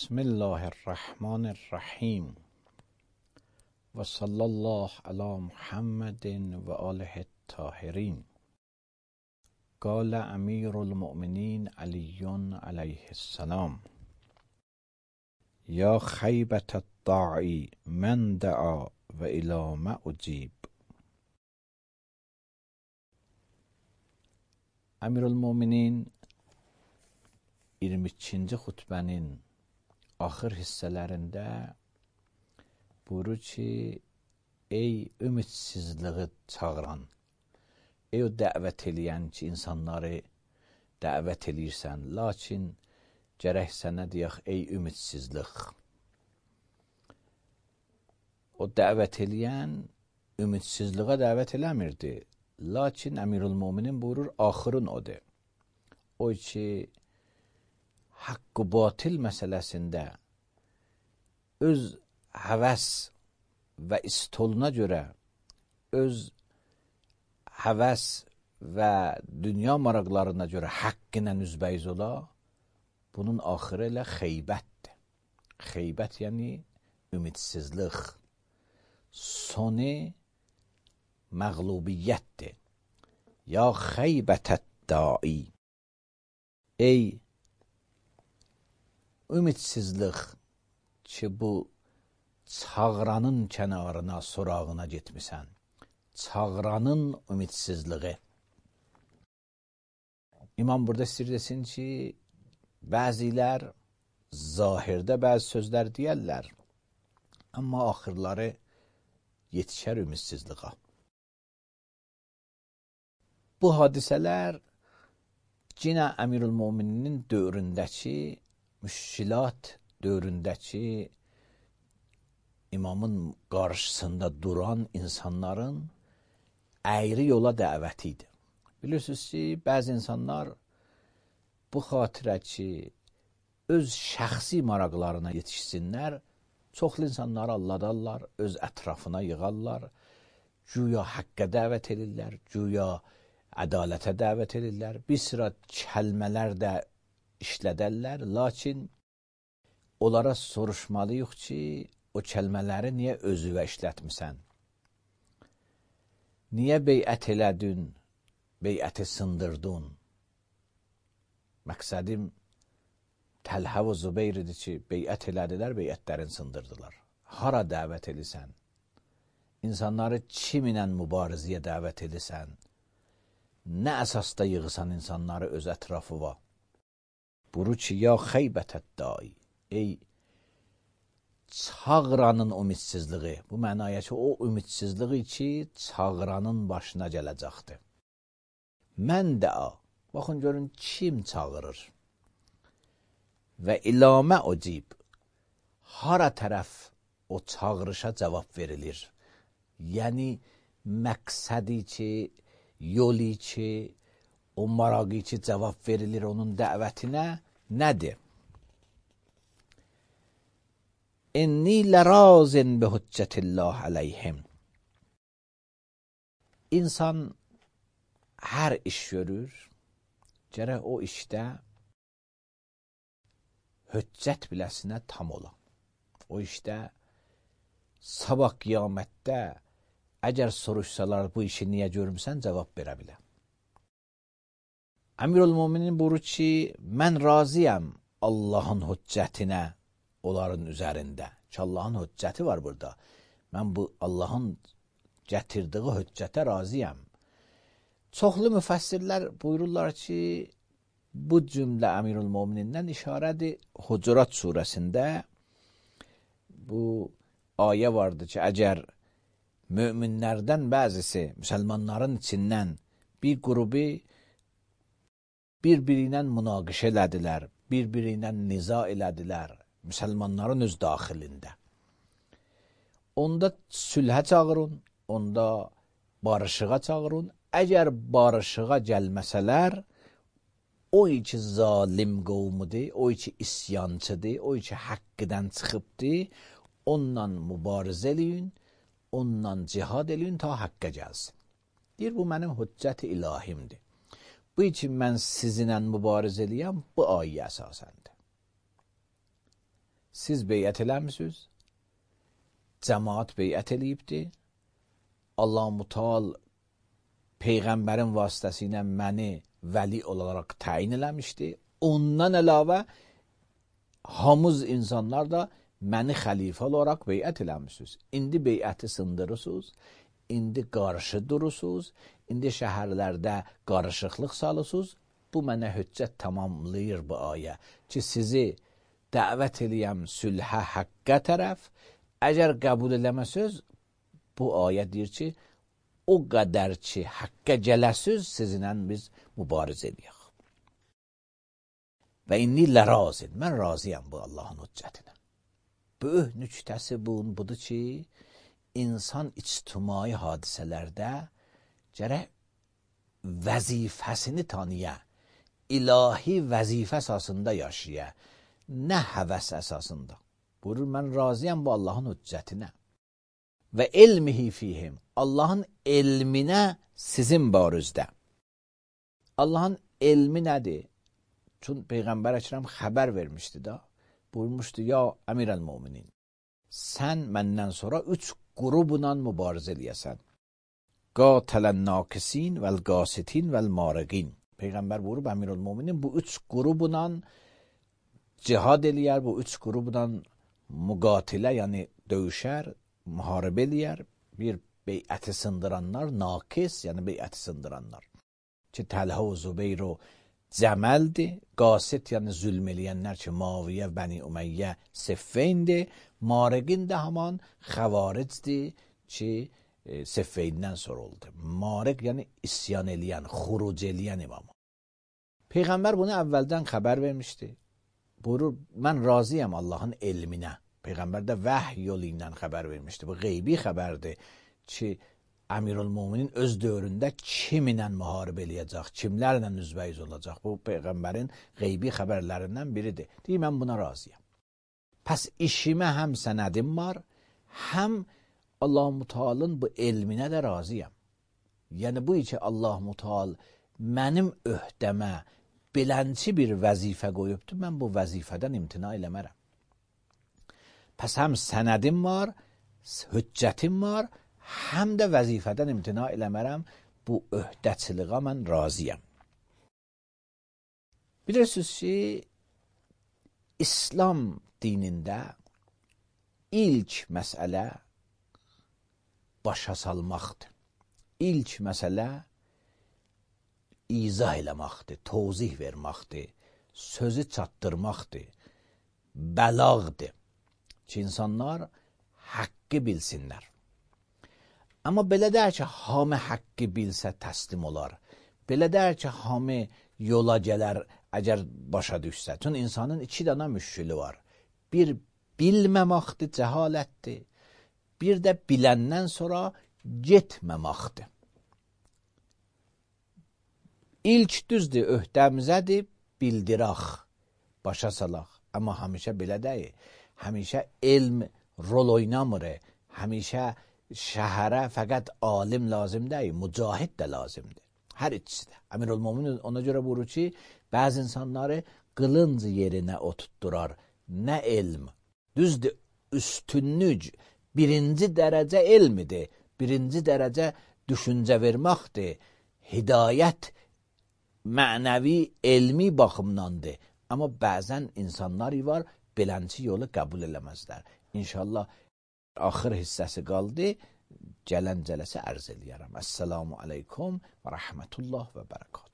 بسم الله الرحمن الرحیم و صلی الله علی محمد و آله الطاهرین. قال امیر المؤمنین علی علیه السلام: یا خیبة الداعی من دعا و الی ما اجیب. Əmir el-Möminin 22-ci xutbənin axır hissələrində buyurur ki, ey ümidsizliği çağıran, ey o dəvət eləyən ki, insanları dəvət eləyirsən, lakin gərək sənə deyək, ey ümidsizlik. O dəvət eləyən ümidsizliğə dəvət eləmirdi. Lakin Əmirül-Möminin buyurur, axırın odur. O ki, haqq-ı batil məsələsində öz həvəs və istoluna görə, öz həvəs və dünya maraqlarına görə haqq ilə üzbəyiz ola, bunun axırı ilə xeybətdir. Xeybət yəni ümidsizlik, sonu məğlubiyyətdir. Ya xeybətət dai, ey ümidsizlik ki, bu çağıranın kənarına, sorağına getmisən. Çağıranın ümidsizliği. İmam burada istəyir desin ki, bəzilər zahirdə bəzi sözlər deyərlər, amma axırları yetişər ümidsizliğə. Bu hadisələr yenə Əmirül-Möminin dövründəki, müşkilat dövründəki imamın qarşısında duran insanların əyri yola dəvəti idi. Bilirsiniz ki, bəzi insanlar bu xatirə ki, öz şəxsi maraqlarına yetişsinlər, çoxlu insanları alladarlar, öz ətrafına yığarlar, güya haqqa dəvət edirlər, güya ədalətə dəvət edirlər, bir sıra kəlmələr də işlədərlər, lakin onlara soruşmalıyıq ki, o kəlmələri niyə özüvə işlətmirsən? Niyə beyət elədin, beyəti sındırdın? Məqsədim Təlhə və Zübeyir idi ki, beyət elədilər, beyətlərini sındırdılar. Hara dəvət edirsən? İnsanları kiminlə mübarizəyə dəvət edirsən? Nə əsasda yığısan insanları öz ətrafıva? Buyurur ki, ya xeybətət dai, ey çağıranın ümidsizliği. Bu mənaya ki, o ümidsizliği ki, çağıranın başına gələcəkdir. Mən dəa, baxın görün, kim çağırır? Və ilamə ucib, hara tərəf o çağırışa cavab verilir? Yəni, məqsədi ki, yolu ki, o maraqı ki, cavab verilir onun dəvətinə nədir? İnni lərazin bi hüccətillah əleyhim. İnsan hər iş görür, gərək o işdə hüccət biləsinə tam ola. O işdə sabah qiyamətdə əgər soruşsalar bu işi niyə görmüsən, cavab verə bilər. Əmirül-Möminin buyurur ki, mən razıyam Allahın hüccətinə onların üzərində. Ki, Allahın hüccəti var burada. Mən bu Allahın gətirdiyi hüccətə razıyam. Çoxlu müfəssirlər buyururlar ki, bu cümlə Əmirül-Möminindən işarədir. Hucurat surəsində bu ayə vardır ki, əgər möminlərdən bəzisi, müsəlmanların içindən bir qrubu bir-biri ilə münaqişə elədilər, bir-biri ilə niza elədilər, müsəlmanların öz daxilində. Onda sülhə çağırın, onda barışığa çağırın. Əgər barışığa gəlməsələr, o ki zalim qovmudur, o ki isyançıdır, o ki haqqıdan çıxıbdır, onunla mübarizə eləyin, onunla cihad eləyin ta haqqa gəlsin. Deyir, bu mənim hüccət-i ilahimdir. Bu için mən sizinlə mübarizə eləyəm, bu ayə əsasəndir. siz beyət eləmisiniz, cəmaat beyət eləyibdir, Allah Müteal Peyğəmbərin vasitəsilə məni vəli olaraq təyin eləmişdi. Ondan əlavə hamız insanlar da məni xəlifə olaraq beyət eləmişsiniz. İndi beyəti sındırırsınız, indi qarşı durursunuz, indi şəhərlərdə qarışıqlıq salırsınız. Bu mənə hüccət tamamlayır bu ayə ki, sizi dəvət eləyəm sülhə, həqqə tərəf. Əgər qəbul eləməsiniz, bu ayə deyir ki, o qədər ki, həqqə gələsiz, sizinlə biz mübarizə edəyək. Və inni lərazin, mən razıyam bu Allahın hüccətinə. Böyük nüktəsi budur ki, insan ictimai hadisələrdə gərək vəzifəsini tanıya, ilahi vəzifə əsasında yaşaya, nə həvəs əsasında. Buyurur, mən razıyam bu Allahın hüccətinə. Və elmihi fihim, Allahın elminə sizin barızdə. Allahın elmi nədir? Çünki Peyğəmbər Əkrəm xəbər vermişdi da, buyurmuşdu, ya əmirəl-müminin, sən məndən sonra 3 qrubla mübarizə eləyəsən. Qatələn-nakisin vəl-qasitin vəl-mariqin. Peyğəmbər buyurub, əmirəl-müminin bu 3 qrubla cihad eləyər, bu 3 qrubla müqatilə, yəni döyüşər, müharibə eləyər. Bir beyəti sındıranlar, nakis, yəni beyəti sındıranlar. Ki, Təlhə və Zübeyr o Cəməldir, qasit, yəni zülm eləyənlər ki, Maviyyə, Bəni Ümeyyə, Siffeyndir. Mariqin də haman xəvaricdir ki, Siffeyndən sonra oldu. Mariq, yəni isyan eləyən, xuruc eləyən imam. Peyğəmbər bunu əvvəldən xəbər vermişdi. Buyurur, mən razıyam Allahın elminə. Peyğəmbər də vəhy yolu ilə xəbər vermişdi. Bu qeybi xəbərdir ki, Əmirül-Müminin öz dövründə kiminlə müharibə eləyəcək, kimlərlə üzbəyiz olacaq. Bu Peyğəmbərin qeybi xəbərlərindən biridir. Deyir, mən buna razıyam. Pəs işimə həm sənədim var, həm Allah Mütealın bu elminə də razıyam. Yəni bu ki, Allah Müteal mənim öhdəmə belənçi bir vəzifə qoyubdur, mən bu vəzifədən imtina eləmərəm. Pəs həm sənədim var, hüccətim var, həm də vəzifədən imtina eləmərəm, bu öhdəçiliğə mən razıyam. Bilirsiniz ki, İslam dinində ilk məsələ başa salmaqdır. İlk məsələ izah eləmaqdır, tozih vermaqdır, sözü çatdırmaqdır, bəlağdır ki, insanlar haqqı bilsinlər. Amma belə deyər ki, hamı haqqı bilsə təslim olar. Belə deyər ki, hamı yola gələr, əgər başa düşsə. Çünki insanın 2 dənə müşkülü var. Bir bilməmaqdır, cəhalətdir. Bir də biləndən sonra getməmaqdır. İlk düzdür, öhdəmizədir, bildiraq, başa salaq. Amma həmişə belə deyil. Həmişə elm rol oynamır. Həmişə şəhərə fəqət alim lazım deyil, mücahid də lazımdır. Hər ikisi də. Əmirül-Müminin ona görə buyurur ki, bəzi insanları qılınc yerinə oturtdurar. Nə elm? Düzdür, üstünlük birinci dərəcə elmidir. Birinci dərəcə düşüncə verməkdir. Hidayət mənəvi, elmi baxımdandır. Amma bəzən insanlar var, belənçi yolu qəbul eləməzlər. İnşallah axır hissəsi qaldı, gələn cələsə ərz eləyərəm. Əssəlamu aleykum və rəhmətullah və bərəkatuhu.